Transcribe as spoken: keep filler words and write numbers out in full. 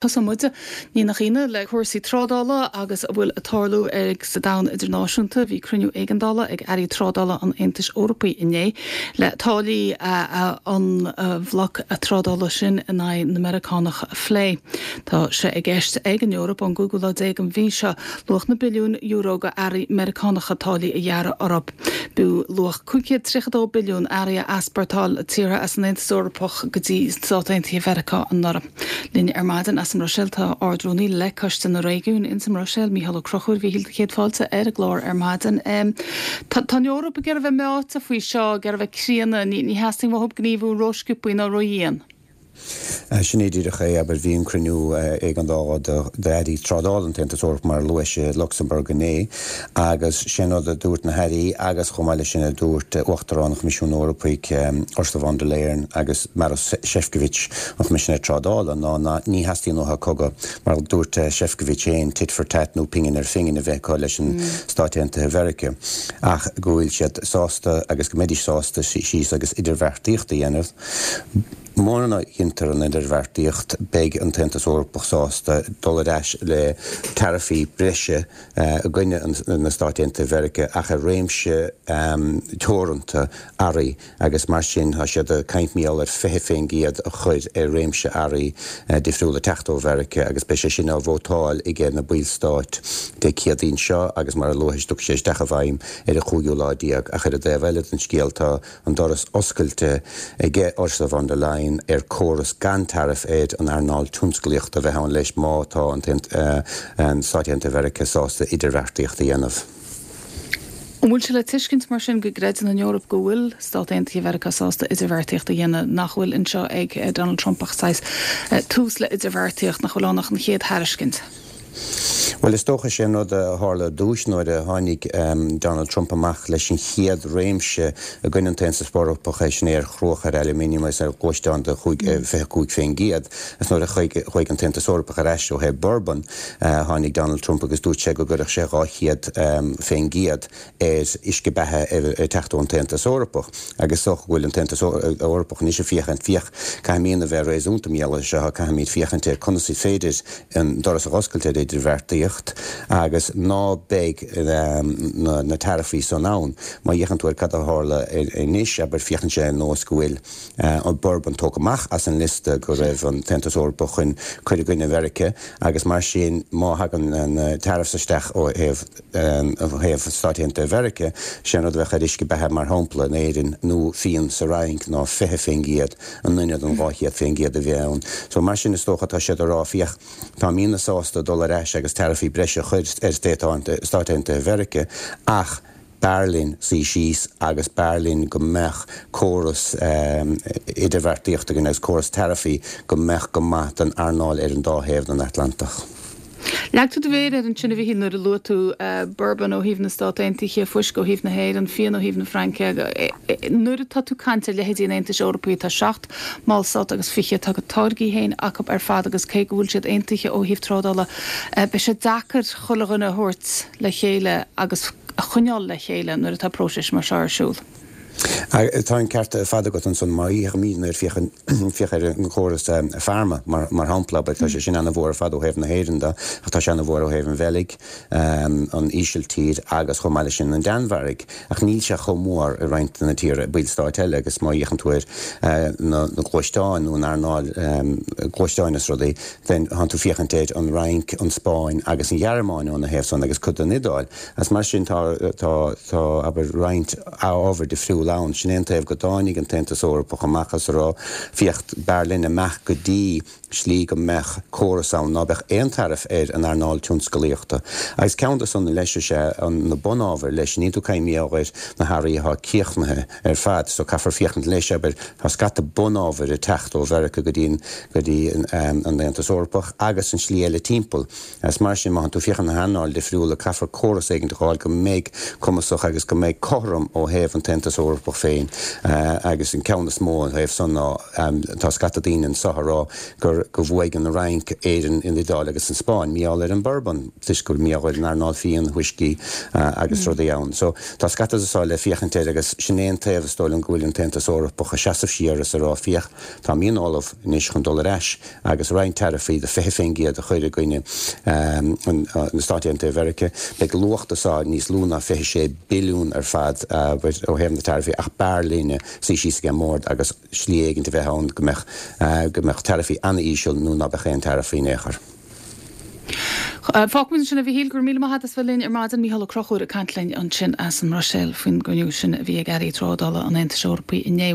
Tosóidh muid, ní nach ionadh, le cúrsaí trádála agus a bhfuil ag tarlú ag sa domhan idirnáisiúnta. Bhí cruinniú éigeandála ag airí trádála an Aontais Eorpaigh inné le táillí an bhloc trádála sin in aghaidh na Meiriceánach a phlé. Tá sé i gceist ag an Eoraip ón gcúigiú lá déag den mhí seo luach na billiún euro d'earraí Meiriceánacha táillí a ghearradh orthu. B'fhiú luach cúig chéad tríocha dó billiún earraí a easpórtáil tíortha as an Aontas Eorpach go dtí Stáit Aontaithe Mheiriceá anuraidh. Linn ar maidin as an mBruiséil tá Ard-Rúnaí le Coiste na Réigiún ins an mBruiséil, Mícheál Ó Conchúir. A Mhíchíl, céad fáilte ar an gclár ar maidin. Tá an Eoraip ag iarraidh bheith meáite faoi seo, ag iarraidh bheith críonna, ní theastaíonn uathu gníomhú rósciobtha ná ródhian. Sin é díreach é, abair, bhí an cruinniú éigeandála d'airí trádála an tAontas Eorpach mar a luais i Lucsamburg inné agus sin rud a dúirt na hairí agus chomh maith leis sin a dúirt Uachtarán an Choimisiúin Eorpaigh Ursula von der Leyen agus Maros Sefcovic, an Choimisinéir Trádála, ná ná ní theastaíonn uathu cogadh, mar a dúirt Sefcovic féin, tit for tat nó pingin ar phingin a bheith acu leis an Stáit Aontaithe Mheiriceá ach go bhfuil siad sásta agus go mbeidís sásta síos agus idirbheartaíocht a dhéanamh. Mura ndéantar an idirbheartaíocht, beidh an tAontas Eorpach sásta dul ar ais le taraifí breise i gcoinne na Stáit Aontaithe Mheiriceá ach ar réimse teoranta earraí agus mar sin tá siad ag caint mar gheall ar fiche faoin gcéad a chur ar réimse earraí difriúla ag teacht ó Mheiriceá agus beidh sé sin á vótáil aige na ballstáit Dé Céadaoin seo agus mar a luais tiocfaidh sé isteach i bhfeidhm ar an chúigiú lá déag ach ar an dtaobh eile den scéal tá an doras oscailte aige Ursula von der Leyen ar córas gan taraif ar an earnáil tionsclaíochta a bheith ann leis má tá an Stáit Aontaithe Mheiriceá sásta idirbheartaíocht a dhéanamh. An bhfuil sé le tuiscint mar sin go gcreideann an Eoraip go bhfuil Stát Aontaithe Mheiriceá sásta idirbheartaíocht a dhéanamh, nach bhfuil anseo ag Donald Trump ach saghas tús le idirbheartaíocht, nach bhfuil ann ach an chéad thairiscint? Bhuel, is dócha sé an rud a tharla ar dtús nuair a tháinig Donald Trump amach leis an chéad réimse i gcoinne an tAontas Eorpach, é sin ar chruach, ar aluminium agus ar ghluaisteáin de fiche cúig faoin gcéad. Is nuair a chuaigh an tAontas Eorpach ar ais ó thaobh bourbon, tháinig Donald Trump agus dúirt sé go gcuirfeadh sé dhá chéad faoin gcéad ar uisce beatha ag teacht ón tAontas Eorpach. Agus is dócha go bhfuil an tAontas Eorpach anois ag féachaint, féach, caithfimidne a bheith réasúnta mar gheall air seo, caithfimid féachaint ar conas is féidir an doras a oscailt ar idirbheartaíocht agus ná beidh na taraifí san ann. Má fhéachann tú ar cad a tharla anois, abair, féachann sé ar nós go bhfuil an bourbon tógtha amach as an liosta go raibh an tAontas Eorpach chun cur i gcoinne Mheiriceá agus mar sin má thagann na tariffs isteach ó thaobh ó thaobh Stáit Aontaithe Mheiriceá, sé an rud a bheadh ar uisce beatha mar shampla in Éirinn nó fíon sa Fhrainc ná fiche faoin gcéad in ionad an dhá chéad faoin gcéad a bheith ann. So mar sin is dócha tá siad ag rá féach táimidne sásta dul ar ais agus taraifí breise a chur ar Stáit Aontaithe Mheiriceá ach b'fhearr linn suí síos agus b'fhearr linn go mbeadh córas idirbheartaíochta againn agus córas taraifí go mbeadh go maith don earnáil ar an dá thaobh den Atlantach. Leag tú do mhéar air ansin a Mhíchíl nuair a luaigh tú bourbon ó thaobh na Stát Aontaithe, fuisce ó thaobh na hÉireann, fíon ó thaobh na Fraince. Nuair atá tú ag caint ar leithéidí an Aontais Eorpaigh, tá seacht mballstát agus fiche, tá a gcuid táirgí féin acu ar fad agus cé go bhfuil siad aontaithe ó thaobh trádála, beidh sé deacair chuile dhuine a thabhairt le chéile agus a choinneáil le chéile nuair atá próiseas mar seo ar siúl. Tá an ceart ar fad agat ansan. Má fhéachaimid ar féach ar an chóras pharma mar shampla, abair, tá sé sin an-mhór ar fad ó thaobh na hÉireann de, ach tá sé an-mhór ó thaobh an Bheilg, an Ísiltír agus chomh maith leis sin an Danmhairg. Ach níl sé chomh mór i roinnt de na tíortha, ballstáit eile agus má fhéachann tú ar na gluaisteáin nó an earnáil gluaisteáin is rudaí, then tánn tú féachaint ar an Fhrainc, an Spáinn agus an Ghearmáin óna thaobh san agus cuid den Iodáil. Agus mar sin tá, tá, tá, abair, roinnt ábhar difriúil ann. Sin é an taobh go dtáinig an tAontas Eorpach amach is a rá, féach, b'fhearr linn imeacht go dtí slí go mbeadh córas ann ná beadh aon taraif ar an earnáil tionscalaíochta. Agus ceann de san leis is ea an, na bunábhair leis, níl tú ag caint mar gheall ar na hearraí atá críochnaithe ar fad, so caithfear féachaint leis, abair, tá scata bunábhair ag teacht ó Mheiriceá go dtí an, go dtí an Aontas Eorpach agus an slí eile timpeall. Agus mar sin, má thánn tú ag féachaint na hearnáil difriúla, caithfear córas éigint a fháil go mbeidh cumasach agus go mbeidh cothrom ó thaobh an tAontas Eorpach féin. Agus an ceann is mó ó thaobh san ná, tá scata daoine anso a rá gur gur go bhfuaigh an Fhrainc, Éirinn, an Iodáil agus an Spáinn, mar gheall ar an bourbon, toisc go bhfuil mar gheall ar an earnáil fíon, whiskey agus rudaí ann. So tá scata de seo le féachaint air agus sin é an taobh is dóigh liom go bhfuil an tAontas Eorpach ag seasamh siar is ag rá féach, tá muid ullamh anois chun dul ar ais agus roinnt taraifí de fiche faoin gcéad a chur i gcoinne na Stáit Aontaithe Mheiriceá. Beidh luach de seo níos lú ná fiche sé billiún ar fad ó thaobh na taraifí ach b'fhearr linne suí síos ag an mbord agus slí éigin a bheith ann go mbeadh go mbeadh taraifí an-íseal nó ná beadh aon taraifí in aon chor. Fágfaimid ansin é a Mhíchíl, go raibh míle maith agat as bheith linn ar maidin. Mícheál Ó Conchúir ag caint linn ansin as an mBruiséil faoin gcruinniú sin a bhí ag Airí Trádála an Aontais Eorpaigh inné.